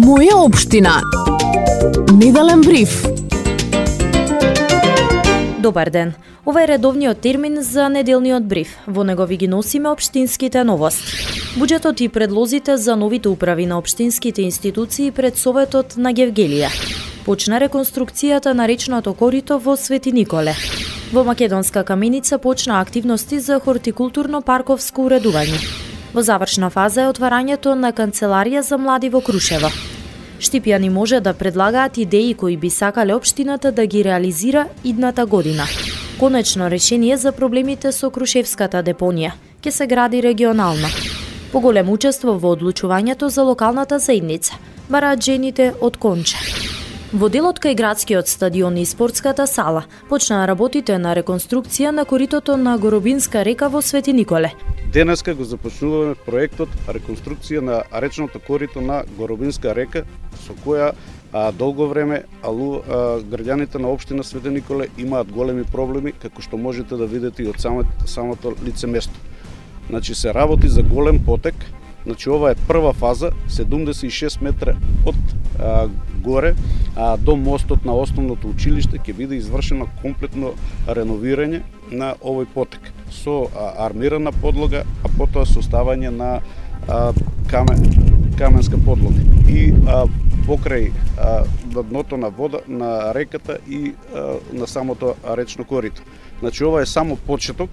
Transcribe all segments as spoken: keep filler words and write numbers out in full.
Моја општина. Неделен бриф. Добар ден. Ова е редовниот термин за неделниот бриф. Во него ви ги носиме општинските новости. Буџетот и предлозите за новите управи на општинските институции пред Советот на Гевгелија. Почна реконструкцијата на речното корито во Свети Николе. Во Македонска каменица почна активности за хортикултурно-парковско уредување. Во завршна фаза е отварањето на канцеларија за млади во Крушево. Штипјани може да предлагаат идеи кои би сакале општината да ги реализира идната година. Конечно решение за проблемите со Крушевската депонија ќе се гради регионално. Поголемо учество во одлучувањето за локалната заедница бараат жените од Конче. Во делот кај градскиот стадион и спортската сала почнаа работите на реконструкција на коритото на Горобинска река во Свети Николе. Денеска го започнуваме проектот реконструкција на речното корито на Горобинска река, со која а, долго време алу, а, граѓаните на општина Свети Николе имаат големи проблеми, како што можете да видите и од самото, самото лице место. Значи се работи за голем потек. Значи ова е прва фаза, седумдесет и шест метра од а, горе а, до мостот на основното училиште ќе биде извршено комплетно реновирање на овој потек со а, армирана подлога, а потоа со ставање на а, камен, каменска подлога и а, покрај а, на дното на вода на реката и а, на самото речно корито. Значи ова е само почеток.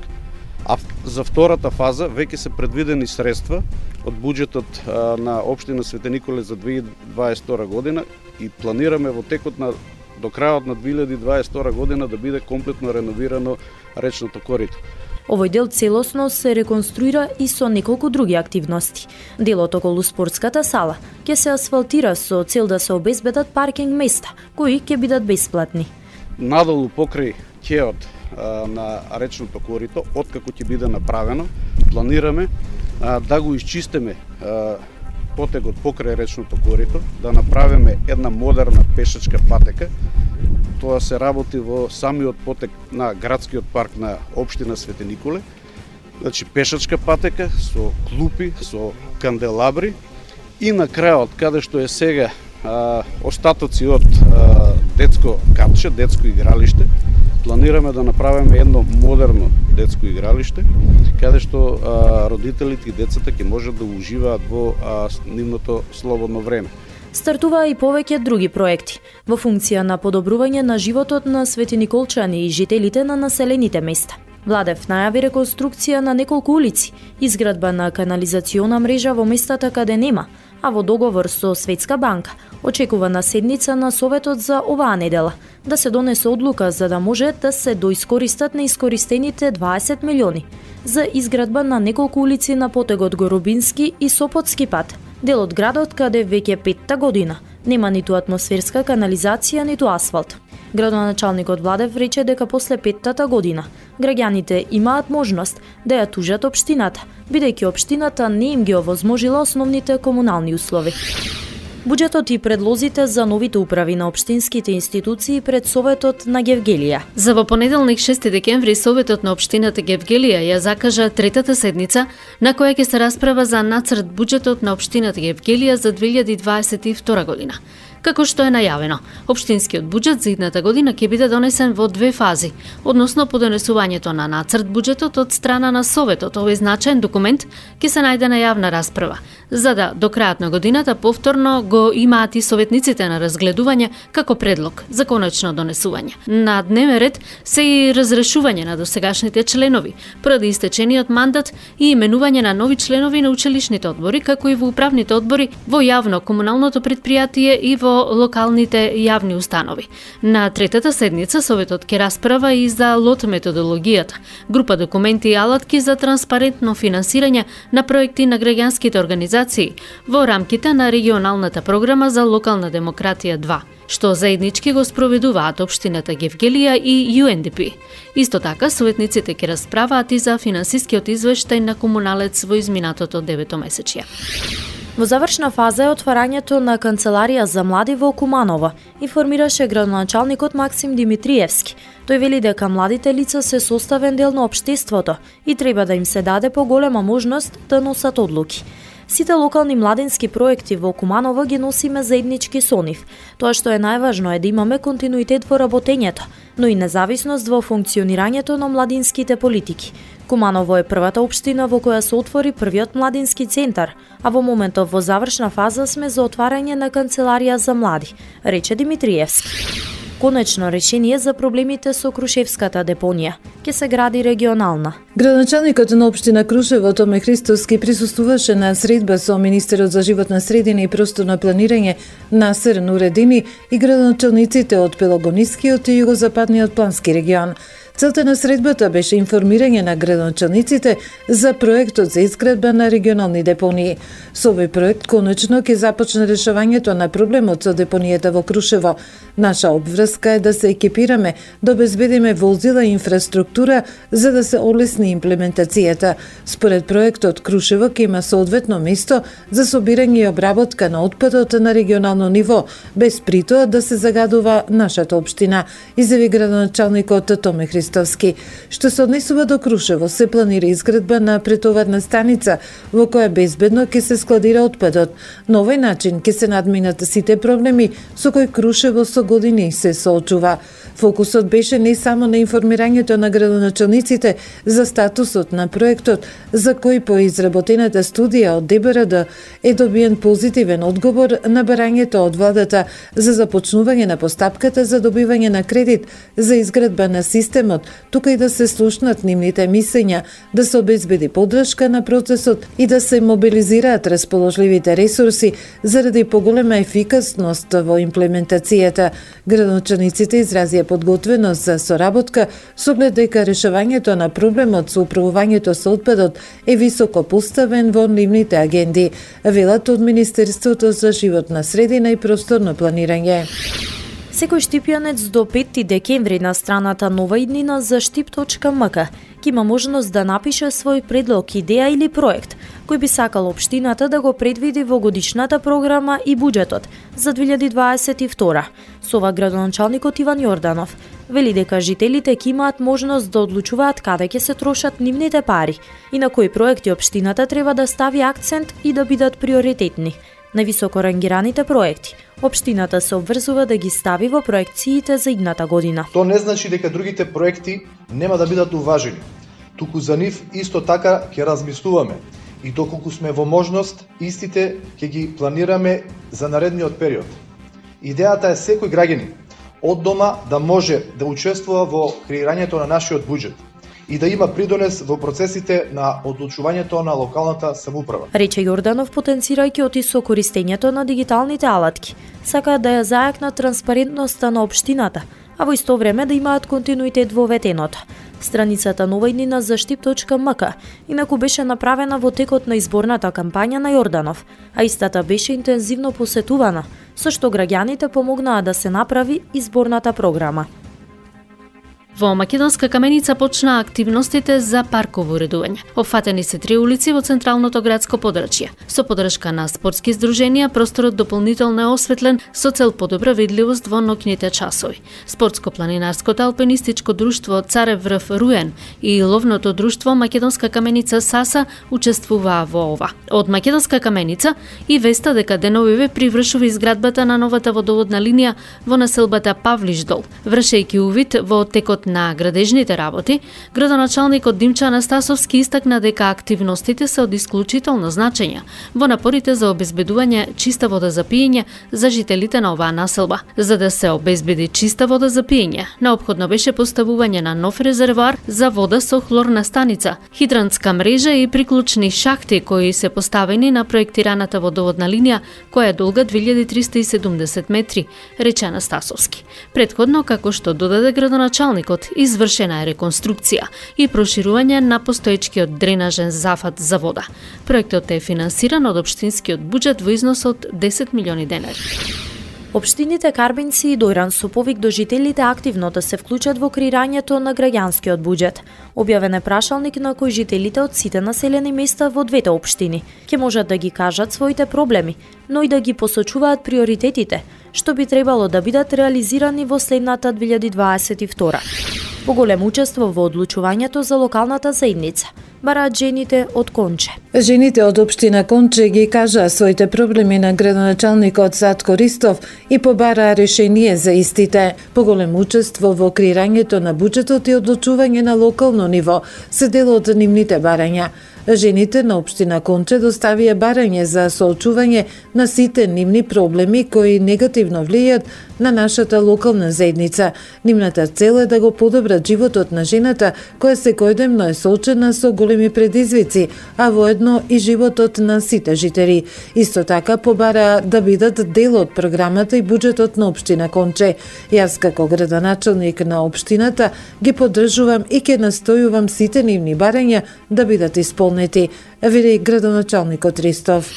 А за втората фаза веќе се предвидени средства од буџетот а, на општина Свети Николе за две илјади дваесет и втора година и планираме во текот на до крајот на две илјади дваесет и втора година да биде комплетно реновирано речното корито. Овој дел целосно се реконструира и со неколку други активности. Делот околу спортската сала ќе се асфалтира со цел да се обезбедат паркинг места, кои ќе бидат бесплатни. Надолу покрај ќеот на речното корито, откако ќе биде направено, планираме а, да го исчистиме а, потегот покрај речното корито, да направиме една модерна пешачка патека. Тоа се работи во самиот потек на градскиот парк на општина Свети Николе. Значи пешачка патека со клупи, со канделабри и на крајот, каде што е сега а, остатоци од а, детско катче, детско игралиште, планираме да направиме едно модерно детско игралиште, каде што а, родителите и децата ќе можат да уживаат во а, нивното слободно време. Стартуваа и повеќе други проекти во функција на подобрување на животот на светиниколчани и жителите на населените места. Владев најави реконструкција на неколку улици, изградба на канализациона мрежа во местата каде нема, а во договор со Светска банка очекува на седница на Советот за оваа недела да се донесе одлука за да може да се доискористат неискористените дваесет милиони за изградба на неколку улици на потегот Горобински и Сопотски пат, дел од градот каде веќе петта година нема ниту атмосферска канализација, ниту асфалт. Градоначалникот Владев рече дека после петтата година граѓаните имаат можност да ја тужат општината, бидејќи општината не им ги овозможила основните комунални услови. Буџетот и предлозите за новите управи на општинските институции пред Советот на Гевгелија. За во понеделник шести декември Советот на општината Гевгелија ја закажа третата седница на која ќе се расправа за нацрт буџетот на општината Гевгелија за две илјади дваесет и втора година. Како што е најавено, општинскиот буџет за идната година ќе биде донесен во две фази, односно по донесувањето на нацрт буџетот од страна на Советот. Овој значаен документ ќе се најде на јавна расправа, за да до крајот на годината повторно го имаат и советниците на разгледување како предлог за конечно донесување. На дневен ред се и разрешување на досегашните членови, поради истечениот мандат и именување на нови членови на училишните одбори, како и во управните одбори во јавно-комуналното предпријатие и во локалните јавни установи. На третата седница Советот ќе расправа и за лот методологијата, група документи и алатки за транспарентно финансирање на проекти на граѓанските организации во рамките на регионалната програма за локална демократија два, што заеднички го спроведуваат општината Гевгелија и Ю Ен Ди Пи. Исто така, советниците ќе расправаат и за финансискиот извештај на комуналец во изминатото деветомесечје. Во завршна фаза е отварањето на канцеларија за млади во Куманово, информираше градоначалникот Максим Димитриевски. Тој вели дека младите лица се составен дел на општеството и треба да им се даде поголема можност да носат одлуки. Сите локални младински проекти во Куманово ги носиме заеднички со нив. Тоа што е најважно е да имаме континуитет во работењето, но и независност во функционирањето на младинските политики. Куманово е првата општина во која се отвори првиот младински центар, а во моментов во завршна фаза сме за отварање на канцеларија за млади, рече Димитриевски. Конечно решение за проблемите со Крушевската депонија ќе се гради регионална. Градоначалникот на општина Крушево Томе Христоски присуствуваше на средба со министерот за животна средина и просторно планирање Насер Нуредини и градоначалниците од Пелагонискиот и Југозападниот плански регион. Целта на средбата беше информирање на градоначалниците за проектот за изградба на регионални депонии. Со овој проект конечно ќе започне решавањето на проблемот со депонијата во Крушево. Наша обврска е да се екипираме, да обезбедиме возила и инфраструктура за да се олесни имплементацијата. Според проектот, Крушево ќе има соодветно место за собирање и обработка на отпадот на регионално ниво, без притоа да се загадува нашата општина, изјави градоначалникот Томе Христоски. Што се однесува до Крушево, се планира изградба на претоварна станица во која безбедно ќе се складира отпадот. На овој начин ќе се надминат сите проблеми со кои Крушево со години се соочува. Фокусот беше не само на информирањето на градоначалниците за статусот на проектот, за кој по изработената студија од Д Б Р Д е добиен позитивен одговор на барањето од владата за започнување на постапката за добивање на кредит за изградба на системот, тука и да се слушнат нивните мислења, да се обезбеди поддршка на процесот и да се мобилизираат расположливите ресурси заради поголема ефикасност во имплементацијата. Градоначалниците изразија подготвеност за соработка со оглед дека решавањето на проблемот со управувањето со отпадот е високо поставен во нивните агенди, велат од Министерството за животна средина и просторно планирање. Секој штипјанец до петти декември на страната Нова иднина за штип точка ем ка ќе има можност да напише свој предлог, идеја или проект кој би сакал општината да го предвиди во годишната програма и буџетот за две илјади дваесет и втора. Со ова градоначалникот Иван Јорданов вели дека жителите ќе имаат можност да одлучуваат каде ќе се трошат нивните пари и на кои проекти општината треба да стави акцент и да бидат приоритетни. На високо рангираните проекти општината се обврзува да ги стави во проекциите за идната година. Тоа не значи дека другите проекти нема да бидат уважени. Туку за нив исто така ќе размислуваме и доколку сме во можност, истите ќе ги планираме за наредниот период. Идејата е секој граѓанин од дома да може да учествува во креирањето на нашиот буџет и да има придонес во процесите на одлучувањето на локалната самоуправа. Рече Јорданов, потенцирајќи оти со користењето на дигиталните алатки. Сакаат да ја зајакнат транспарентноста на општината, а во исто време да имаат континуитет во ветеното. Страницата Нова иднина за штип точка ем ка инаку беше направена во текот на изборната кампања на Јорданов, а истата беше интензивно посетувана, со што граѓаните помогнаа да се направи изборната програма. Во Македонска каменица почнаа активностите за парково уредување. Опфатени се три улици во централното градско подрачје. Со подршка на спортски здруженија, просторот дополнително е осветлен со цел подобра видливост во ноќните часови. Спортско-планинарското алпинистичко друштво Царев врв Руен и ловното друштво Македонска каменица Саса учествуваа во ова. Од Македонска каменица и веста дека деновиве привршува изградбата на новата водоводна линија во населбата Павлишдол. Вршејќи увид во текот на градежните работи, градоначалникот Димчо Анастасовски истакна дека активностите се од исклучително значење во напорите за обезбедување чиста вода за пиење за жителите на оваа населба. За да се обезбеди чиста вода за пиење, неопходно беше поставување на нов резервоар за вода со хлорна станица, хидрантска мрежа и приклучни шахти кои се поставени на проектираната водоводна линија која е долга две илјади триста и седумдесет метри, рече Анастасовски. Претходно, како што додаде градоначалникот, извршена е реконструкција и проширување на постоечкиот дренажен зафат за вода. Проектот е финансиран од општинскиот буџет во износ од десет милиони денари. Општините Карбинци и Дојран со повик до жителите активно да се вклучат во креирањето на граѓанскиот буџет. Објавен е прашалник на кој жителите од сите населени места во двете општини ќе можат да ги кажат своите проблеми, но и да ги посочуваат приоритетите, што би требало да бидат реализирани во следната две илјади дваесет и втора. Поголемо учество во одлучувањето за локалната заедница. бараат жените од Конче. Жените од општина Конче ги кажаа своите проблеми на градоначалникот Затко Ристов и побараа решение за истите. Поголемо учество во креирањето на буџетот и одлучување на локално ниво се дел од нивните барања. Жените на општина Конче доставија барање за соочување на сите нивни проблеми кои негативно влијаат на нашата локална заедница. Нивната цел е да го подобрат животот на жената која секојдневно е соочена со големи предизвици, а воедно и животот на сите жители. Исто така побараа да бидат дел од програмата и буџетот на општина Конче. Јас како градоначалник на општината ги поддржувам и ќе настојувам сите нивни барања да бидат исполнети, вели градоначалникот Ристов.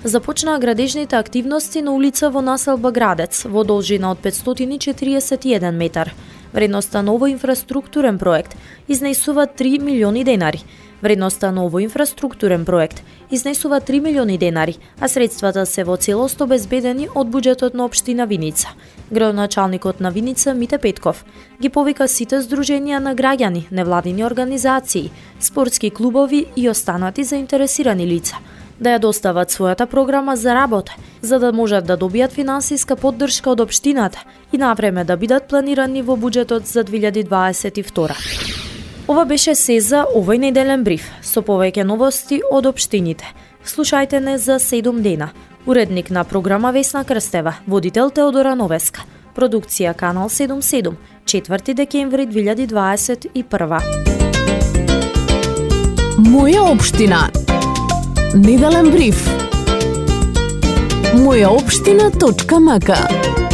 Започнаа градежните активности на улица во населба Градец во должина од петстотини и четириесет и еден метар. Вредноста на овој инфраструктурен проект изнесува три милиони денари. Вредноста на овој инфраструктурен проект изнесува три милиони денари, а средствата се во целост обезбедени од буџетот на општина Виница. Градоначалникот на Виница Мите Петков ги повика сите здруженија на граѓани, невладини организации, спортски клубови и останати заинтересирани лица да ја достават својата програма за работа, за да можат да добијат финансиска поддршка од општината и навреме да бидат планирани во буџетот за две илјади дваесет и втора. Ова беше се за овој неделен бриф, со повеќе новости од општините. Слушајте не за седум дена. Уредник на програма Весна Крстева, водител Теодора Новеска. Продукција Канал седумдесет и седум, четврти декември две илјади дваесет и прва. Моја општина. Неделен бриф. моја општина точка м к